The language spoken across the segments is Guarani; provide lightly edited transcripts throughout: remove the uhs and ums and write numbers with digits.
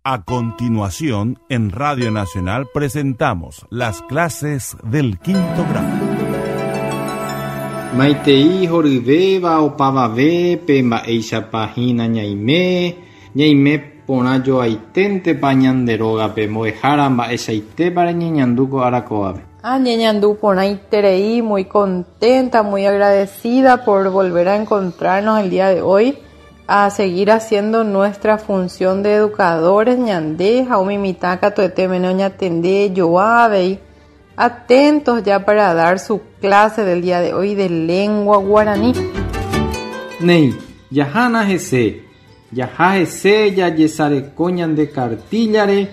A continuación, en Radio Nacional presentamos las clases del quinto grado. Maitei horyvéva opavavépe mba'éichapa hína ñaime, ñaime porã joaiténtepa ñande rógape, mbo'ehára mba'eichaitépa reñeñandu ko ára kóvape. Añeñandu porãiterei, muy contenta, muy agradecida por volver a encontrarnos el día de hoy, a seguir haciendo nuestra función de educadores ñande ha umi mitã katuete mene oñatende joa avei, atentos ya para dar su clase del día de hoy de lengua guaraní. Néi, jahána hese, jaha hese jajesareko ñande kartíllare,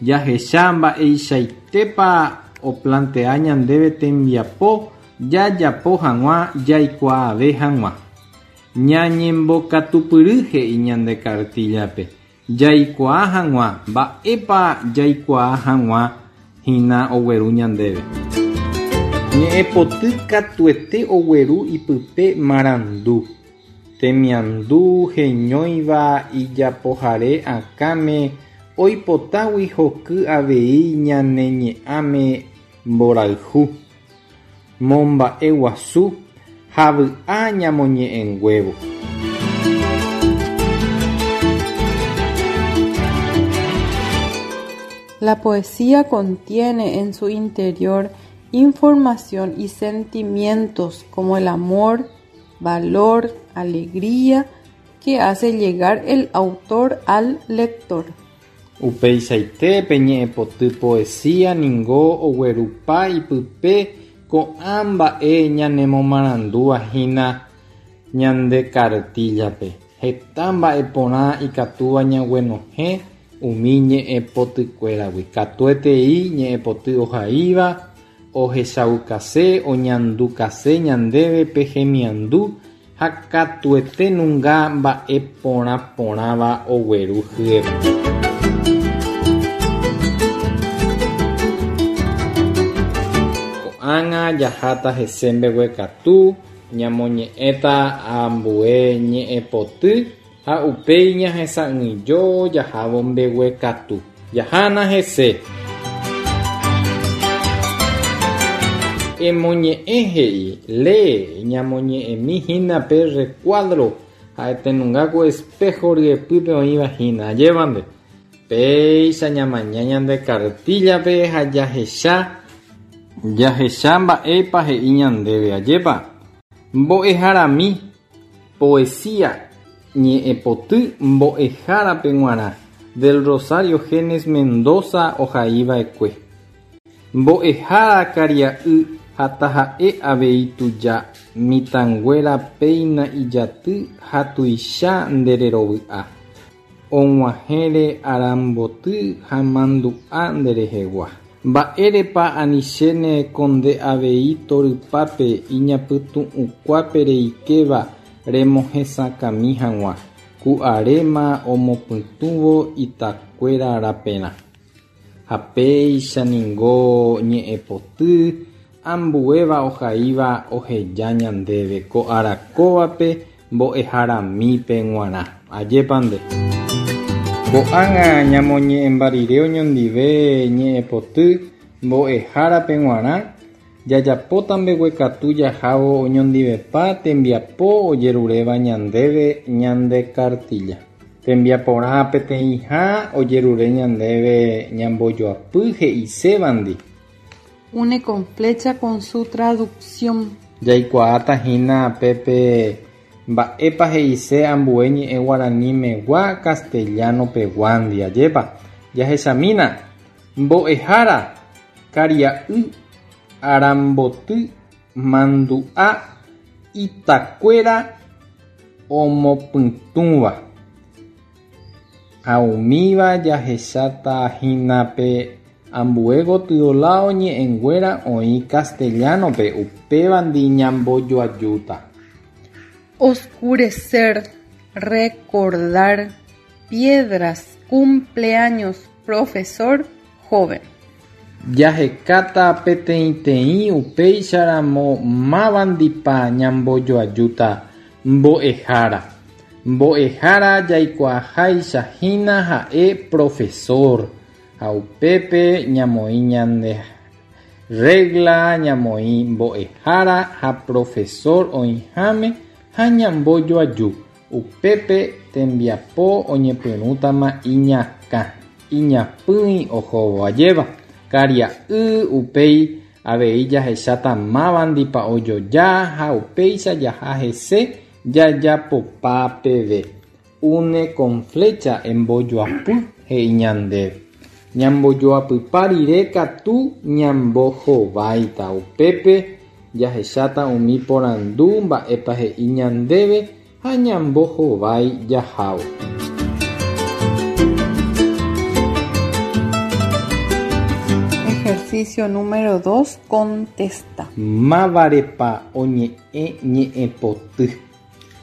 jahecha mba'eichaitépa oplantea ñandéve tembiapo jajapo hag̃ua jaikuaave hag̃ua. Ñañembokatupyry he'i ñande kartíllape, jaikuaa hag̃ua mba'épa jaikuaa hag̃ua hína ogueru ñandéve. Ñe'ẽpoty katuete ogueru ipype marandu, temiandu heñóiva ijapohare akãme oipotágui hoky avei ñane ñe'ãme mborayhu, momba'eguasu ha vy'a ñamoñe'ẽnguévo. La poesía contiene en su interior información y sentimientos como el amor, valor, alegría que hace llegar el autor al lector. Upeichaite pe ñe'ẽpoty poesía ningo oguerupa ipype ko'ã mba'e ñanemomarandúva hína ñande kartíllape. Heta mba'e porã ikatúva ñaguenohẽ umi ñe'ẽpotykuéragui. Katuetei ñe'ẽpoty ohaíva, ohechaukase, oñandukase ñandéve pe hemiandu ha katuete nunga mba'e porã porãva ogueru hyepe. Ko'ág̃a jaháta hese mbeguekatu, ñamoñe'ẽta ambue ñe'ẽpoty ha upéi ñahesa'ỹijo jahávo mbeguekatu. Jahána hese. Emoñe'ẽ he'i, Lee, ñamoñe'ẽmi hína pe rrekuádro ha'etenunga ku espého ryepýpe oĩva hína. Ajépa nde? Péicha ñamaña ñande kartíllape ha jahecha jahecha mba'épa he'i ñandéve. Ajépa? Mbo'eharami, poesía, ñe'ẽpoty mbo'ehárape g̃uarã, del Rosario Genes Mendoza ohaiva'ekue. Mbo'ehára karia'y ha taha'e avei tuja, mitãnguéra péina ijaty ha tuicha nde rerovy'a. Og̃uahẽre aramboty ha mandu'a nde rehegua. Mba'érepa anichéne ko nde avei torypápe iñapytu'ũkuápe reikéva remohesakãmi hag̃ua, ku aréma omopytũvo itakuéra raperã. Ha péicha ningo ñe'ẽpoty ambuéva ohaíva oheja ñandéve ko ára kóvape mbo'eharamípe g̃uarã. Ajépa nde. Ko'ág̃a ñamoñe'ẽmba rire oñondive ñe'ẽpoty mbo'ehárape g̃uarã, jajapóta mbeguekatu jahávo oñondivepa tembiapo ojeruréva ñandéve ñande kartilla. Tembiaporã peteĩha ojerure ñandéve ñambojoapy he'isévandi. Une con flecha con su traducción. Jaikuaáta hína pépe mba'épa he'ise ambue ñe'ẽ guaranimegua castellano-peguándi, ajépa? Jahechamína, mbo'ehára, karia'y, aramboty, mandu'a, itakuéra omopytũva. Ha umíva jahecháta hína pe ambue gotyo láo ñe'ẽnguéra oĩ castellano-pe, upévandi ñambojoajúta. Oscurecer, recordar, piedras, cumpleaños, profesor, joven. Jahekáta peteĩteĩ upéicharamo mávandipa ñambojoajúta mbo'ehára. Mbo'ehára jaikuaaháicha hína ha'e profesor ha upépe ñamoĩ ñande regla, ñamoĩ mbo'ehára ha profesor oĩháme ha ñambojoaju. Upépe tembiapo oñepyrũtama iñakã, iñapỹi ohóvo ajéva. Karia'y upéi avei jahecháta mávandipa ojoja ha upéicha jaha hese jajapopa peve. Une con flecha embojoapy he'i ñandéve. Ñambojoapypa rire katu ñambohováita. Upépe jahecháta umi porandu mba'épa he'i ñandéve ha ñambohovái jahávo. Ejercicio número 2. Contesta. Mávarepa oñe'ẽ ñe'ẽpoty?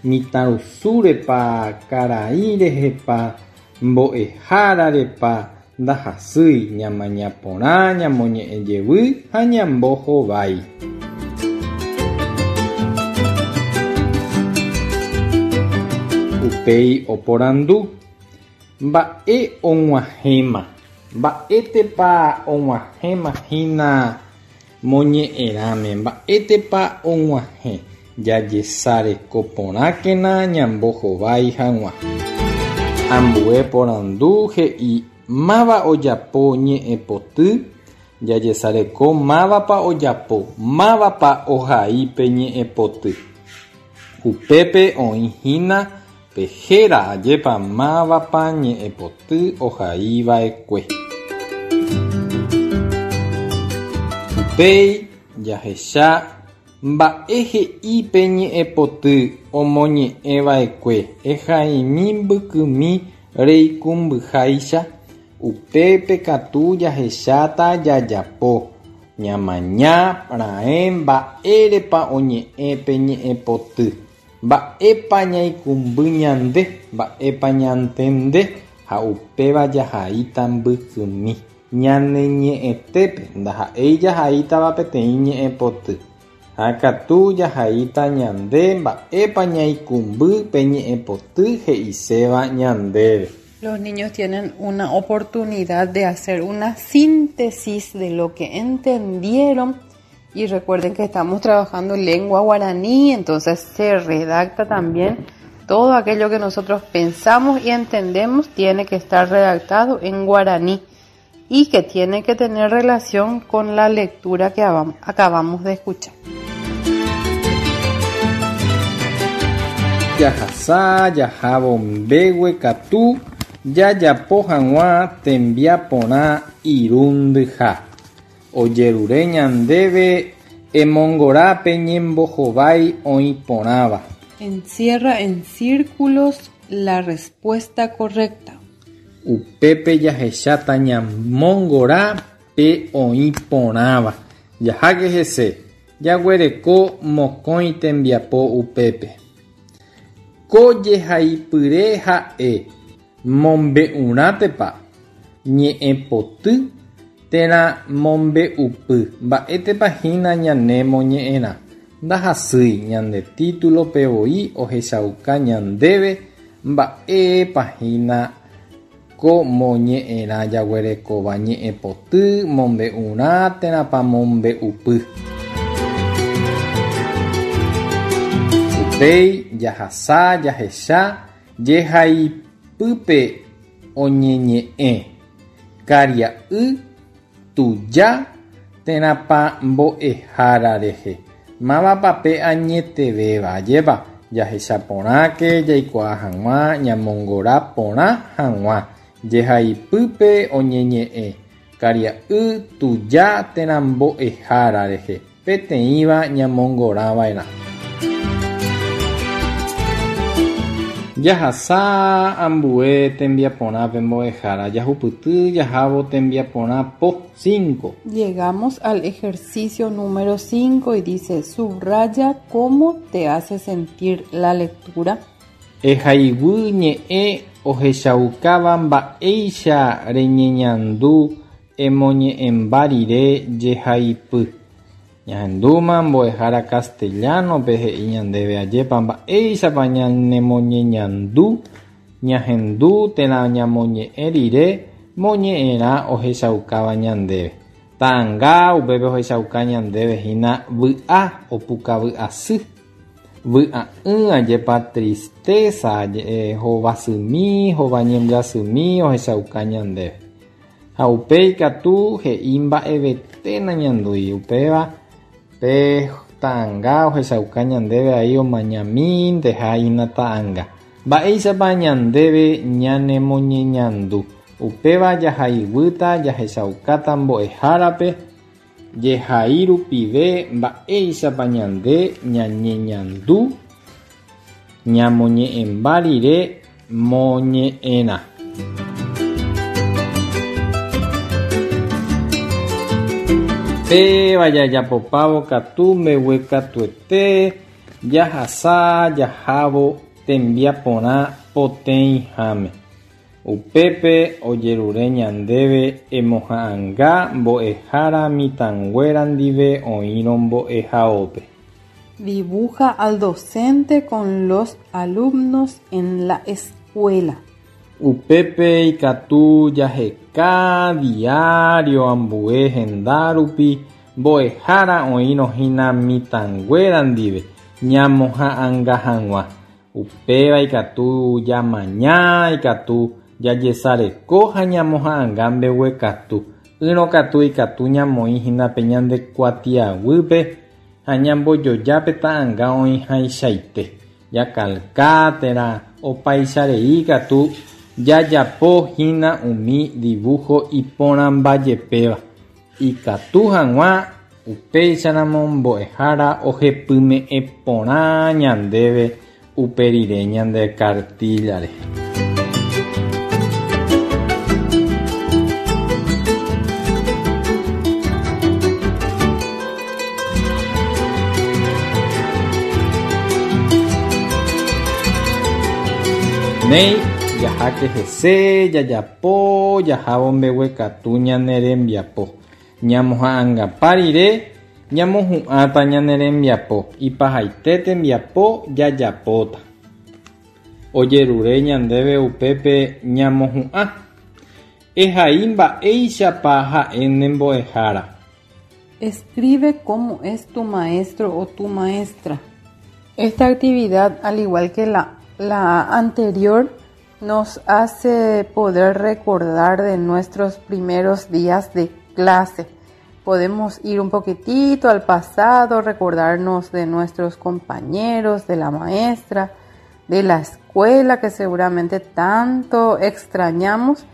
Mitãrusúrepa, karai rehepa, mbo'ehárarepa ndahasýi ñamaña porã ñamoñe'ẽ jevy ha ñambohovái. Upéi oporandu, Mba'e og̃uahẽma? Mba'étepa og̃uahẽma hína moñe'ẽrãme? Mba'étepa og̃uahẽ? Jajesareko porãkena ñambohovái hag̃ua. Ambue porandu he'i máva ojapo ñe'ẽpoty, jajesareko mávapa ojapo, mávapa ohai pe ñe'ẽpoty. Upépe oĩ hína pe héra ajépa mávapa ñe'ẽpoty ohaiva'ekue. Upéi jahecha mba'e he'i pe ñe'ẽpoty omoñe'ẽva'ekue ehaimi mbykymi reikũmbyháicha, upépe katu jahecháta jajapo, ñamaña raẽ mba'érepa oñe'ẽ pe ñe'ẽpoty, mba'épa ñaikũmby ñande, mba'épa ñantende ha upéva jahaíta mbykymi. Ñane ñe'ẽtépe ndaha'éi jahaítava peteĩ ñe'ẽpoty, ha katu jahaíta ñande mba'épa ñaikũmby pe ñe'ẽpoty he'iséva ñandéve. Los niños tienen una oportunidad de hacer una síntesis de lo que entendieron y recuerden que estamos trabajando lengua guaraní, entonces se redacta también todo aquello que nosotros pensamos y entendemos tiene que estar redactado en guaraní y que tiene que tener relación con la lectura que acabamos de escuchar. Jahasa jahávo mbeguekatu jajapo hag̃ua tembiaporã irundyha. Ojerure ñandéve emongora pe ñembohovái oĩ porãva. Encierra en círculos la respuesta correcta. Upépe jahecháta ñamongora pe oĩ porãva. Jaháke hese, jaguereko mokõi tembiapo upépe. Ko jehaipyre ha'e mombe'urãtepa, ñe'ẽpoty térã mombe'upy mba'étepa hína ñane moñe'ẽrã. Ndahasýi ñande título-pe voi ohechauka ñandéve mba'épa hína ko moñe'ẽrã jaguerekóva ñe'ẽpoty, mombe'urã térãpa mombe'upy. Upéi jahasa jahecha jehaipýpe oñeñe'ẽ, karia'y, tuja térãpa mbo'ehára rehe. Mávapa pe añetevéva, ajépa? Jahecha porãke jaikuaa hag̃ua ñamongora porã hag̃ua. Jehaipýpe oñeñe'ẽ, karia'y, tuja térã mbo'ehára rehe, peteĩva ñamongorava'erã. Jahasa ambue tembiaporã pe mbo'ehára, jahupyty jahávo tembiaporã po 5. Llegamos al ejercicio número 5 y dice, subraya cómo te hace sentir la lectura. Ehaiguy ñe'ẽ ohechaukáva mba'éicha reñeñandu emoñe'ẽmba rire jehaipy. Ñahendúma mbo'ehára castellano-pe he'i ñandéve ajépa mba'éichapa ñanemoñeñandu ñahendu térã ñamoñe'ẽ rire moñe'ẽrã ohechaukáva ñandéve. Ta'anga upépe ohechauka ñandéve hína vy'a opukavy asy. Vy'a'ỹ ajépa tristeza hovasymi, hovañembyasymi ohechauka ñandéve. Ha upéi katu he'i mba'evete nañandúi upéva pe ta'anga ohechauka ñandéve aí omañamínte ha'ína ta'anga. Mba'éichapa ñandéve ñanemoñeñandu. Upéva jahaiguýta jahechaukáta mbo'ehárape jehai rupive mba'éichapa ñande ñañeñandu ñamoñe'ẽmba rire moñe'ẽrã. Péva jajapopávo katu mbeguekatuete jahasa jahávo tembiaporã poteĩháme. Upépe ojerure ñandéve emoha'ãnga mbo'ehára mitãnguéra ndive oĩrõ mbo'ehaópe. Dibuja al docente con los alumnos en la escuela. Upépe ikatu jaheka diario ambue henda rupi mbo'ehára oĩrõ hína mitãnguéra ndive ñamoha'ãnga hag̃ua. Upéva ikatu jamaña, ikatu jajesareko ha ñamoha'ãnga mbeguekatu. Ỹrõ katu ikatu ñamoĩ hína pe ñande kuatiaguýpe ha ñambojoja pe ta'ãnga oĩhaichaite. Jakalka térã opaicharei katu jajapo hína umi dibujo iporãmbajepéva. Ikatu hag̃ua upéicharamo mbo'ehára ohepyme'ẽ porã ñandéve upe rire ñande cartilla-re. Néi, jaháke hese, jajapo, jahávo mbeguekatu ñane rembiapo. Ñamoha'ãngapa rire ñamohu'ãta ñane rembiapo. Ipahaite tembiapo jajapóta. Ojerure ñandéve upépe ñamohu'ã. Ehai mba'éichapa ha'e ne mbo'ehára. Escribe cómo es tu maestro o tu maestra. Esta actividad, al igual que la anterior, nos hace poder recordar de nuestros primeros días de clase. Podemos ir un poquitito al pasado, recordarnos de nuestros compañeros, de la maestra, de la escuela que seguramente tanto extrañamos.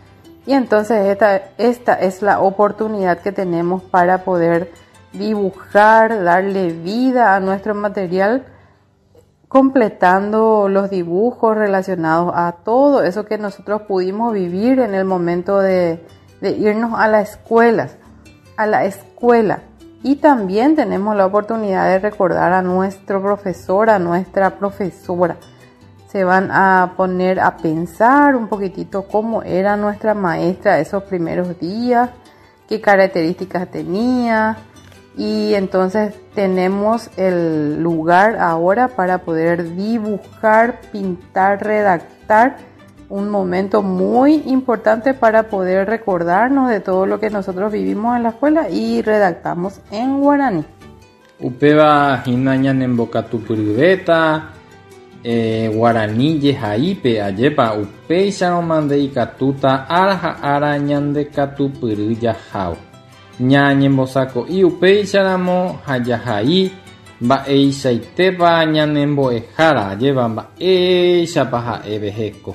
Y entonces esta es la oportunidad que tenemos para poder dibujar, darle vida a nuestro material, completando los dibujos relacionados a todo eso que nosotros pudimos vivir en el momento de irnos a la escuela, a la escuela. Y también tenemos la oportunidad de recordar a nuestro profesor, a nuestra profesora. Se van a poner a pensar un poquitito cómo era nuestra maestra esos primeros días, qué características tenía. Y entonces tenemos el lugar ahora para poder dibujar, pintar, redactar. Un momento muy importante para poder recordarnos de todo lo que nosotros vivimos en la escuela y redactamos en guaraní. Upéva hína ñanembokatupyryvéta, guarani jehaípe ajépa upéicharõ mante ikatúta ára ha ára ñandekatupyry jahávo. Ñañembosako'i upéicharamo ha jahai mba'eichaitépa ñanembo'ehára ajépa mba'éichapa ha'éve heko.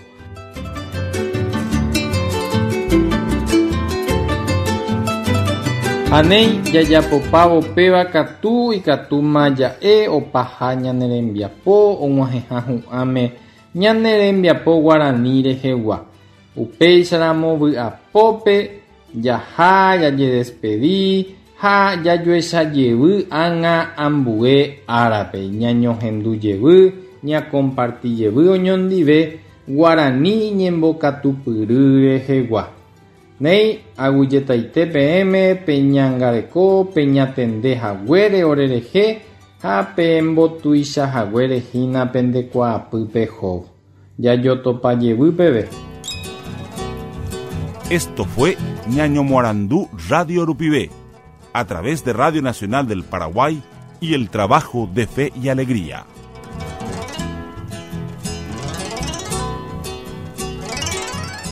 Ha néi jajapopávo péva katu ikatúma ja'e opaha ñane rembiapo og̃uahẽha hu'ãme ñane rembiapo guarani rehegua. Upéicharamo vy'apópe jaha jajedespedi ha jajoechajevy ág̃a ambue árape. Ñañohendujevy, ñakompartijevy oñondive guarani ñembokatupyry rehegua. Néi, aguyjetaite peẽme peñangareko peñatende haguére orerehe ha pembotuichahaguére hína pendekuaapy pehóvo. Jajotopa jevy peve. Esto fue Ñañomoarandu Radio Rupive, a través de Radio Nacional del Paraguay y el trabajo de Fe y Alegría.